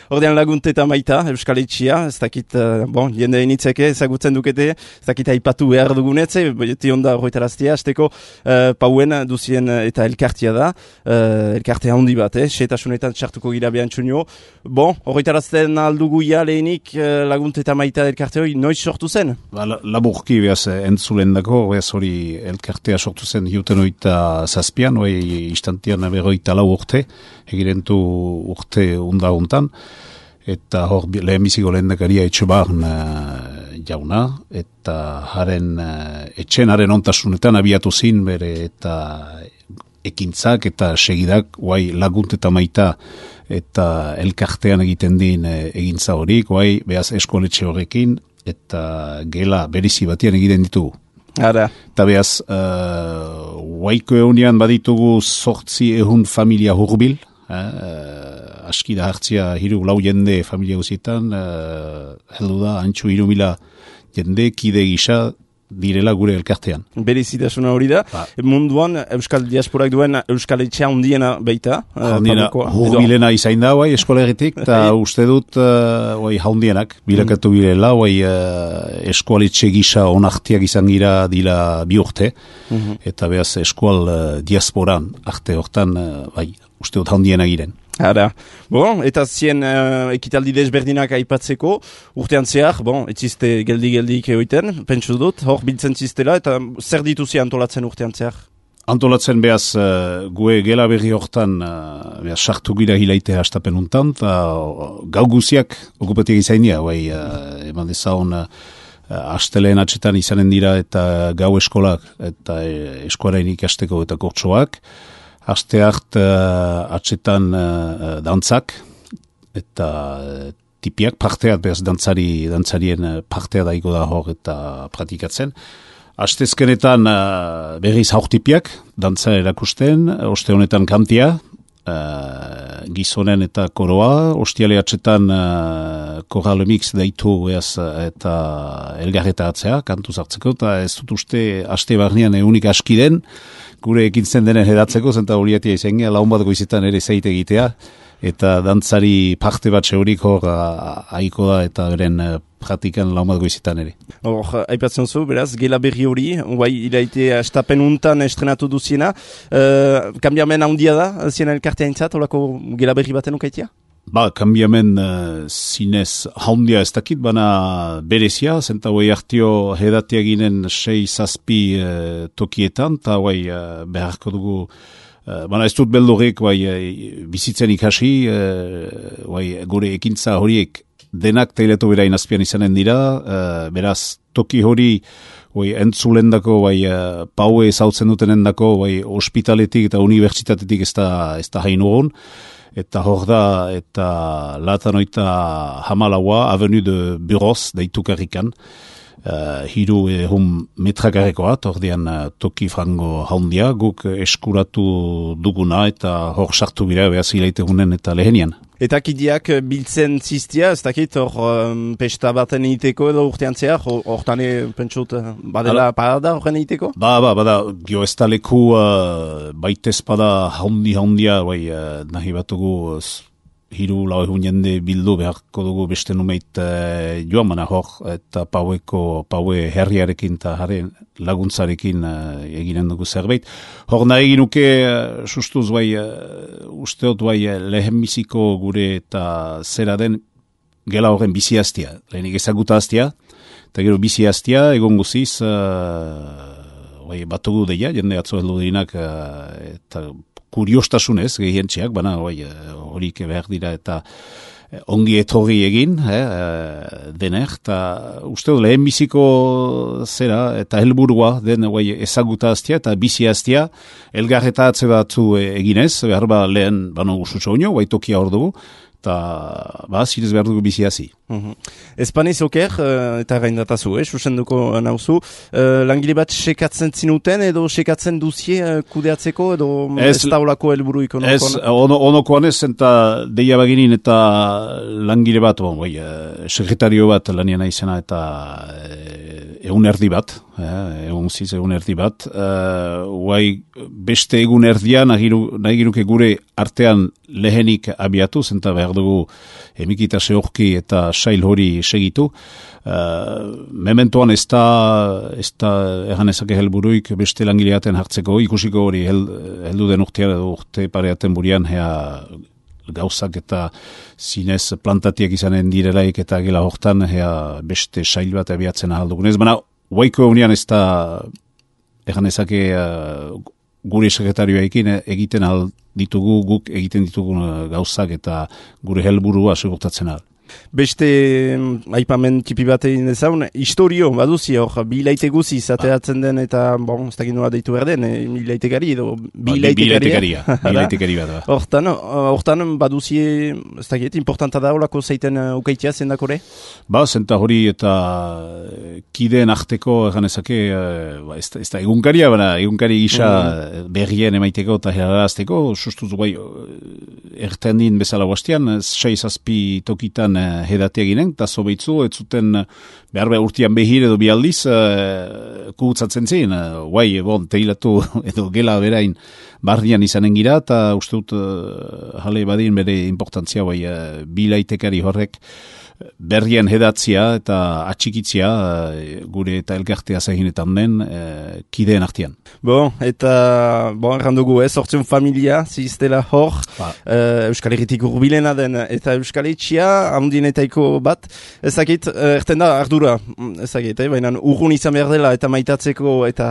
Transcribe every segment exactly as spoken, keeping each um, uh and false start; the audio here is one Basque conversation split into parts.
ordean Lagunte eta Maita, Euskal Etxia, ez dakit, uh, bon, jende initzeke, ezagutzen dukete, ez dakit aipatu behar dugunetze, beti onda horretaraztia, azteko uh, pauen duzien eta elkartia da, uh, elkartea handi bat, eh, setasunetan txartuko gira behan txunio. Bon, horretarazten aldugu ja lehenik uh, Lagunte eta Maita elkarte hori, noiz sortu zen? Ba, laburki behaz entzulen dako, behaz hori elkartea sortu zen hiuten oita zazpian, hoi istantian berroita lau urte, egirentu urte unda untan, eta hor lehenbiziko lehendakaria etxebarn uh, jauna, eta haren uh, etxen haren ontasunetan abiatu zin bere eta ekintzak eta segidak, guai Lagunte eta Maita eta elkartean egiten din uh, egintza horik, guai behaz eskoletxe horrekin, eta gela berizi batian egiten ditugu. Ara. Eta behaz, uh, guaiko egunean baditugu sortzi ehun familia hurbil, uh, aski da hartzia hiru lau jende familia guzietan, uh, heldu da, antxu hiru mila jende kide gisa direla gure elkartean. Berezitasuna hori da. Ba. Munduan, Euskal Diasporak duen Euskal Etxea hundiena baita. Hundiena, hurbilena izain da, bai, eskolegitik, eta uste dut, uh, bai, hundienak, bilakatu bilela, bai, uh, eskoletxe gisa onartiak izan gira dila bi urte, mm-hmm. eta behaz eskual uh, diasporan, arte hortan, uh, bai, uste dut hundiena giren. Ara, bon, eta zien uh, ekitaldi desberdinak aipatzeko, urtean zehar, bon, etzizte geldi-geldik egoiten, pentsu dut, hor biltzen ziztela, eta zer dituzi antolatzen urtean zehar? Antolatzen behaz, uh, gue gela berri hortan, uh, behaz, sartu gira hilaite hastapen untan, eta gau guziak okupatiak izainia, bai, uh, eman dezaun, uh, asteleen atxetan izanen dira, eta gau eskolak, eta uh, eskuarain ikasteko eta kortsoak, aste hart uh, atxetan uh, dantzak, eta uh, tipiak parteat, behaz dantzari, dantzarien partea daiko da hor eta pratikatzen. Astezkenetan uh, berriz haurtipiak, dantza erakusten, oste honetan kantia, uh, gizonen eta koroa, ostiale atxetan uh, koralemix daitu behaz eta elgarreta atzea, kantuz hartzeko, eta ez dut uste aste barnean egunik aski den, gure ekintzen denen edatzeko, zenta horiatia izan laun bat goizetan ere zeite egitea, eta dantzari parte bat zeurik hor haiko da, eta beren praktikan laun bat goizetan ere. Hor, aipatzen zu, beraz, gela berri hori, guai, ilaite astapen untan estrenatu duziena, uh, kambiamen handia da, ziena elkartea intzat, holako gela berri baten ukaitia? Ba, kambiamen uh, zinez haundia ez dakit, bana berezia, zenta guai hartio hedatia ginen sei zazpi uh, tokietan, eta guai uh, beharko dugu, uh, bana ez dut beldurik guai uh, bizitzen ikasi, uh, guai gure ekintza horiek denak teiletu bera inazpian izanen dira, uh, beraz toki hori guai entzulendako, guai uh, paue ezautzen dutenendako, guai ospitaletik eta unibertsitatetik ez da, ez da hain ugon, eta hor da, eta latanoita hamalaua, Avenue de Buros, deitu karrikan, uh, hiru ehun metrakarekoa, ordean uh, toki frango haundia, guk eskuratu duguna, eta hor sartu gira, behaz hilaite gunen eta lehenian. Eta kidiak biltzen ziztia, ez dakit, hor um, pesta baten egiteko edo urtean zehar, hortane pentsut badela parada horren egiteko? Ba, ba, bada, gio ez da leku uh, baitez bada haundi-haundia, bai, uh, nahi batugu uh, hiru lau egun jende bildu beharko dugu beste numeit uh, joan mana hor, eta paueko, paue herriarekin eta haren laguntzarekin uh, eginen dugu zerbait. Hor nahi ginuke, uh, sustuz bai, uh, usteot bai uh, lehenbiziko gure eta zera den gela horren bizi hastia. Lehenik ezaguta hastia, eta gero bizi hastia, egon guziz, uh, bai, batugu deia, jende atzo heldu dinak, uh, eta kuriostasunez, gehientxeak, bana, bai, horik behar dira, eta ongi etorri egin, eh, dener, eta uste dut lehen biziko zera, eta helburua den bai, ezaguta hastia, eta bizi hastia, elgarreta atze batzu eginez, behar ba lehen, bano usutxo unio, bai tokia hor dugu, eta ba, zirez behar dugu bizi hasi. Mm-hmm. Espaniz oker, uh, eta gaindatazu, eh, susenduko nauzu, uh, langile bat sekatzen zinuten, edo sekatzen duzie uh, kudeatzeko, edo ez taulako helburu ikonokoan? Ez, ono, onokoan ez, eta deia baginin, eta langile bat, bon, bai, uh, sekretario bat lanian aizena, eta uh, egun erdi bat, eh, egun ziz egun erdi bat, uh, guai beste egun erdian nahi giruke gure artean lehenik abiatu, zenta behar dugu emikita zehorki eta sail hori segitu. Uh, mementoan ez da, ez da erran ezake helburuik beste langileaten hartzeko, ikusiko hori hel, heldu den urtea edo urte pareaten burian, hea gauzak eta zinez plantatiak izanen direlaik eta gela hortan hea beste sail bat abiatzen ahaldugunez. Baina, guaiko egunean ez da erran ezake uh, gure sekretarioekin egiten ahal ditugu, guk egiten ditugun gauzak eta gure helburua segurtatzen ahal. Beste aipamen tipi bat egin dezaun, historio baduzi hor, bi laite guzi zateatzen den eta, bon, ez dakit nola deitu behar den, e, bi laitekari edo bi laitekaria. Bi laitekari bat da. Hortan, hortan baduzi, ez dakit, importanta da holako zeiten ukaitia zendakore? Ba, zenta hori eta kideen arteko ganezake, ez, ez da egunkaria, baina egunkari gisa mm. berrien emaiteko eta herarazteko, sustuz guai, erten din bezala guastian, seiz azpi tokitan hedatea ginen, eta zobeitzu, ez zuten behar behar urtean behir edo bialdiz uh, kugutzatzen zen, uh, guai, bon, teilatu edo gela berain bardian izanen gira, eta uste dut uh, jale badin bere importantzia, guai, uh, bilaitekari horrek berrien hedatzia eta atxikitzia uh, gure eta elkartea zahinetan den uh, kideen artean. Bon, eta, bon, errandugu, ez, hortzen familia, ziztela hor, ba. uh, Euskal Herritik urbilena den, eta Euskal Etxia, handinetaiko bat, ezakit, uh, erten da, ardura, ezakit, eh? Baina urrun izan behar dela, eta maitatzeko, eta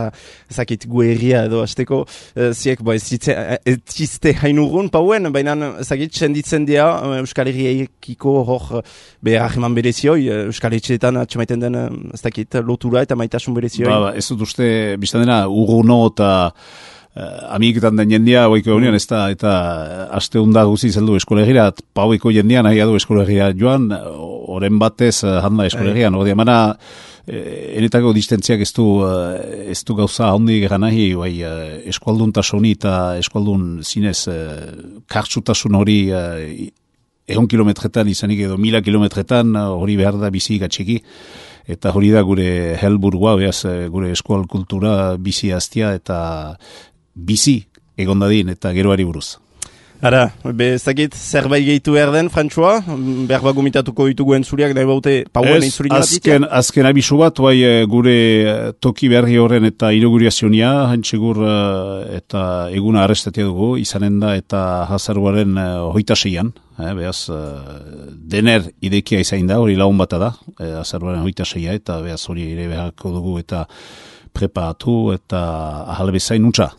ezakit, guerria edo azteko, uh, ziek, ba, ez zizte hain urrun, pauen, baina ezakit, senditzen dira, Euskal Herriekiko hor, behar ahman berezioi, Euskal Etxeetan atxamaiten den, ez dakit, lotura eta maitasun berezioi. Ba, ba, ez dut uste, biztan dena, urruno eta uh, amiketan den jendia, oiko egunean, ez da, eta aste hunda guzi zeldu eskolegira, paueko jendia nahi adu eskolegira joan, oren batez handa eskolegian, hori emana, enetako distentziak ez du, ez du gauza handi gara nahi, bai, eskualdun tasoni eta eskualdun zinez, kartsutasun hori egon kilometretan izanik edo mila kilometretan hori behar da bizi gatxiki. Eta hori da gure helburua, behaz gure eskual kultura bizi aztia eta bizi egondadin eta geroari buruz. Ara, bezakit, zerbait gehitu behar den, Frantzua? Behar bat gomitatuko ditugu entzuriak, nahi baute pauen entzuri bat azken, azken abisu bat, bai, gure toki berri horren eta inauguriazionia, hantxegur eta eguna arrestatia dugu, izanen da eta hazaruaren hoita seian, eh, behaz, dener idekia izain da, hori lagun bata da, eh, hazaruaren hoita seia, eta behaz hori ere beharko dugu eta preparatu eta ahalbezain nuntza.